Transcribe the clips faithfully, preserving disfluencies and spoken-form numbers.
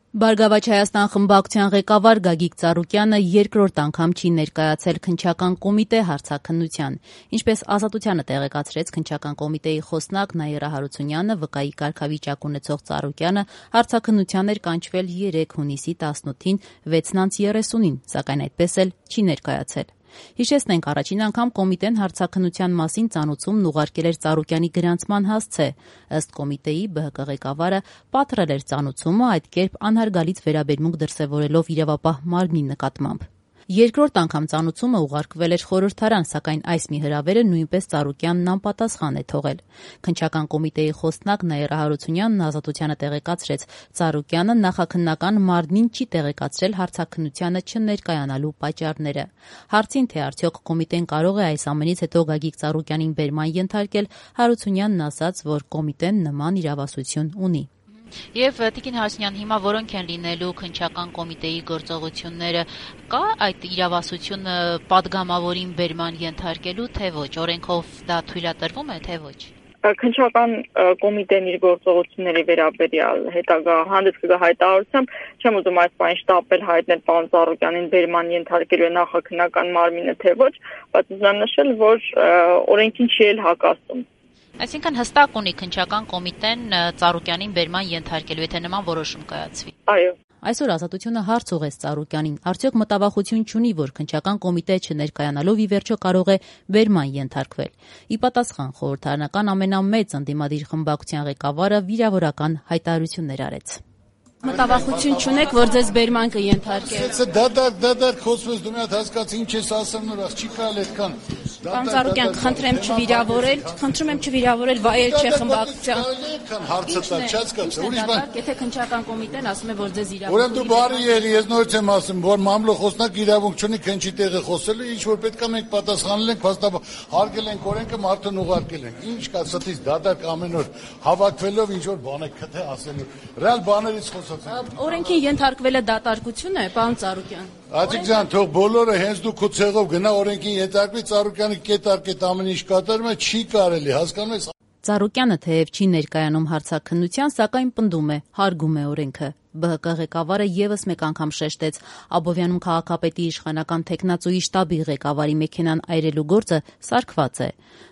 Բարգավաճ Հայաստան խմբակցության ղեկավար Գագիկ Ծառուկյանը երկրորդ անգամ չի ներկայացել քննչական կոմիտե հարցաքննության։ Ինչպես Ազատությանը տեղեկացրեց քննչական կոմիտեի խոսնակ Նաիրա Հարությունյանը, վկայի կարգավիճակ ունեցող Ծառուկյանը հարցաքննության էր կանչվել երեկ հունիսի տասնութին վեցն անց երեսունին, սակայն այդպես էլ չի ներկայացել։ Հիշեցնենք, առաջին անգամ կոմիտեն հարցաքննության մասին ծանուցումն ուղարկել էր Ծառուկյանի գրանցման հասցե։ Ըստ կոմիտեի Բ Հ Կ ղեկավարը պատռել էր ծանուցումը, այդ կերպ անհարգալից վերաբերմունք դրսևորելով իրավապահ մարմնի նկատմամբ։ Երկրորդ անգամ ծանուցումը ուղարկվել էր խորհրդարան, սակայն այս մի հրավերը նույնպես Ծառուկյանն անպատասխան է թողել։ Քննչական կոմիտեի խոսնակ Նաիրա Հարությունյանն Ազատությանը տեղեկացրեց, Ծառուկյանը նախաքննական մարմնին չի տեղեկացրել հարցաքննությանը չներկայանալու պատճառները։ Հարցին, թե արդյոք կոմիտեն կարող է այս ամենից հետո Գագիկ Ծառուկյանին բերման ենթարկել, Հարությունյանն ասաց, որ կոմիտեն նման իրավասություն ունի։ Եվ Տիկին Հարությունյան, հիմա որոնք են լինելու քննչական կոմիտեի գործողությունները, կա այդ իրավասությունը պատգամավորին բերման ենթարկելու, թե ոչ, օրենքով դա թույլատրվում է, թե ոչ։ Քննչական կոմիտեն իր գործողությունների վերաբերյալ հետագա հանդես կգա հայտարարությամբ, չեմ ուզում այս բանը շտապել հայտնել պարոն Ծառուկյանին բերման ենթարկելու է նախաքննական մարմինը, թե ոչ, բայց ուզում եմ նշել, որ օրենքին չի էլ հակասում։ Այսինքն հստակ ունի քննչական կոմիտեն Ծառուկյանին բերման ենթարկելու, եթե նման որոշում կայացվի։ Այո։ Այսօր Ազատությունը հարց ուղղեց Ծառուկյանին, արդյոք մտավախություն չունի, որ քննչական կոմիտե չներկայանալով ի վերջո կարող է բերման ենթարկվել։ Ի պատասխան խորհրդարանական ամենամեծ ընդդիմադիր խմբակցության ղեկավարը վիրավորական հայտարարություններ արեց։ Մտավախություն չունեք, որ ձեզ բերման կենթարկել։ Դադար, դադար խոսվես դու մի հատ հասկացի ինչ ես ասում նորած, չի կարելի այդքան։ Պարոն Ծառուկյան, խնդրեմ չվիրավորել, խնդրում եմ չվիրավորել վայել չէ խմբակցության։ Այդքան հարցը տա, չհասկացա, ուրիշ բան։ Եթե քննչական կոմիտեն ասում է, որ ձեզ իրավունք։ Ուրեմն դու բարի ելի, ես նորից եմ ասում, որ մամլո խոսնակ իրավունք չունի քննչի տեղը խոսելու, ինչ որ պետք է մենք պատասխանել ենք, փաստաբար հարգել ենք օրենքը, մարդուն ուղարկել ենք։ Ինչ կա ստից դադար ամեն օր հավաքվելով ինչ որ բան է քթե ասելու։ Ռեալ բաներից Օրենքին ենթարկվելը դատարկություն է, պարոն Ծառուկյան։ Աջիկ ջան, թող բոլորը հենց դու քո ցեղով գնա օրենքին ենթարկվի, Ծառուկյանը կետարկե ամեն ինչ կատարում է, չի կարելի, հասկանում ես։ Ծառուկյանը թեև չի ներկայանում հարցաքննության, սակայն պնդում է, հարգում է օրենքը։ Բ Հ Կ ղեկավարը եւս մեկ անգամ շեշտեց, Աբովյանում քաղաքապետի իշխանական տեխնացուի շտաբի ղեկավարի մեքենան այրելու գործը սարքված է։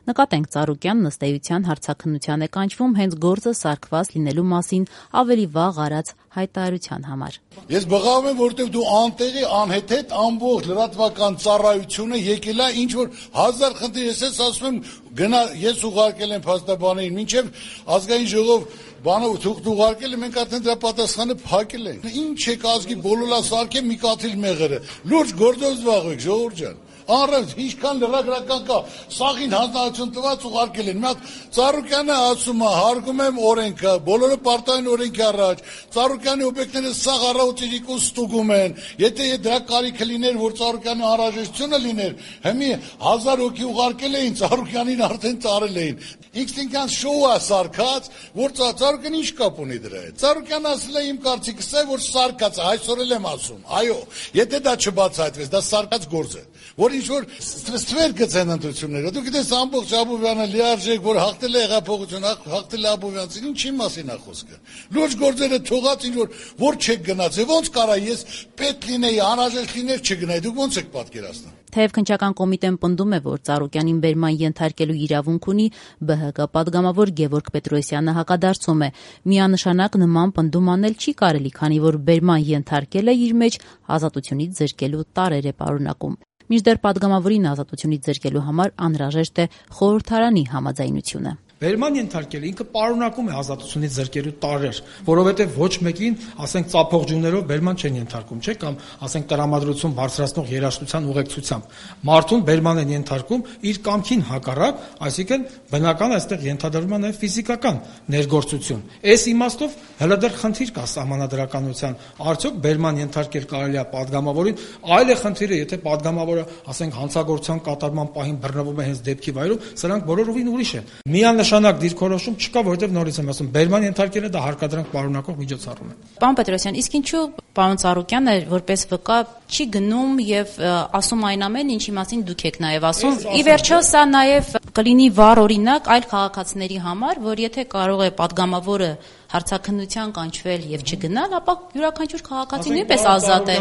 Նկատենք, Ծառուկյանն ըստ էության հարցաքննության է կանչվում հենց գործը սարքված լինելու մասին ավելի վաղ արած հայտարարության համար։ Ես բղավում եմ, որտեղ դու անտեղի անհեթեթ ամբողջ լրատվական ծառայությունը եկել է ինչ որ հազար խնդիր, ես ես ասում եմ գնա, ես ուղարկել եմ փաստաբանին, մինչև ազգային ժողով բանը թուղթ ուղարկել է, մենք արդեն դրա պատասխանը փակել ենք։ Ինչ եք ազգի բոլորը սարքե մի կաթիլ մեղրը։ Լուրջ գործով զբաղվեք, ժողովուրդ ջան։ Առանց ինչքան լրագրական կա, սաղին հանձնարարություն տված ուղարկել են։ Մի հատ Ծառուկյանը ասում է, հարգում եմ օրենքը, բոլորը պարտային օրենքի առաջ։ Ծառուկյանի օբյեկտները սաղ առավոտիկուն ստուգում են։ Եթե դրա կարիքը լիներ, որ Ծառուկյանի անհրաժեշտությունը լիներ, հիմի հազար հոգի ուղարկել էին, Ծառուկյանին արդեն ծառել էին։ Ինքնին շոու է սարքած, որ Ծառուկյանը ինչ կապ ունի դրա հետ։ Ծառուկյանը ասել է իմ կարծիքս է, որ սարքած է, այսօր էլ եմ ասում։ Այո, եթե դա չբացահայտվեց, դա սարքած գործ է, որ ինչ որ ստվեր գցեն ընտրությունները։ Դու գիտես ամբողջ Աբովյանը լիարժեք, որ հաղթել է հեղափոխություն, հաղթել է Աբովյանցին, ինչի մասին է խոսքը։ Լուրջ գործերը թողած ինչ որ որ չեք գնացել, ոնց կարա ես պետք լինեի, անհրաժեշտ լիներ չգնայի, դուք ոնց եք պատկերացնում։ Թեև քննչական կոմիտեն պնդում է, որ Ծառուկյանին բերման ենթարկելու իրավունք ունի, Բ Հ Կ պատգամավոր Գևորգ Պետրոսյանը հակադարձում է։ Միանշանակ նման պնդում անել չի կարելի, քանի որ բերման ենթարկելը իր մեջ ազատությունից զրկելու տարրեր է պարունակում։ Մինչդեռ պատգամավորին ազատությունից զրկելու համար անհրաժեշտ է խորհրդարանի համաձայնությունը։ Բերման ենթարկելը ինքը պարունակում է ազատությունից զրկելու տարրեր, որովհետև ոչ մեկին, ասենք, ծափողջուններով բերման չեն ենթարկում, չէ՞, կամ ասենք տրամադրություն բարձրացնող երաժշտության ուղեկցությամբ։ Մարդուն բերման են ենթարկում իր կամքին հակառակ, այսինքն բնական այստեղ ենթադրվում է նաև ֆիզիկական ներգործություն։ Այս իմաստով հələ դեռ խնդիր կա սահմանադրականության, արդյոք բերման ենթարկել կարելի է պատգամավորին, այլ է խնդիրը, եթե պատգամավորը, ասենք, հանցագործության կատարման պահին բռնվում է հենց դեպքի վայրում, սրանք բոլորովին ուրիշ են։ Միան նշանակ դիրքորոշում չկա, որովհետև նորից եմ ասում, բերման ենթարկելը դա հարկադրանք պարունակող միջոցառում է։ Պարոն Պետրոսյան, իսկ ինչու պարոն Ծառուկյանը որպես վկա չի գնում եւ ասում այն ամեն ինչի մասին դուք եք նաեւ ասում։ Ի վերջո սա նաեւ կլինի վառ օրինակ այլ քաղաքացիների համար, որ եթե կարող է падգամավորը հարցաքննության կանչվել եւ չգնալ, ապա յուրաքանչյուր քաղաքացի նույնպես ազատ է։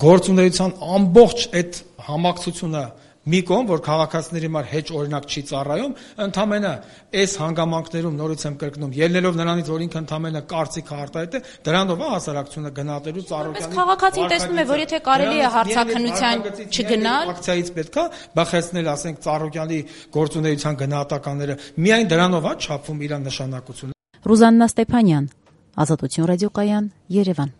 Գործունեության ամբողջ այդ համակցությունը մի կողմ, որ քաղաքացիների համար հեչ օրինակ չի ծառայում, ընդամենը այս հանգամանքներում նորից եմ կրկնում, ելնելով նրանից, որ ինքը ընդամենը կարծիք արտահայտ է, դրանով է հասարակությունը գնահատելու Ծառուկյանի։ Բայց քաղաքացին տեսնում է, որ եթե կարելի է հարցաքննության չգնալ, ակցիայից պետքա բախեցնել, ասենք, Ծառուկյանի գործունեության գնահատականները, միայն դրանով է չափվում իր նշանակությունը։ Ռուզաննա Ստեփանյան, Ազատություն ռադիոկայան, Երևան։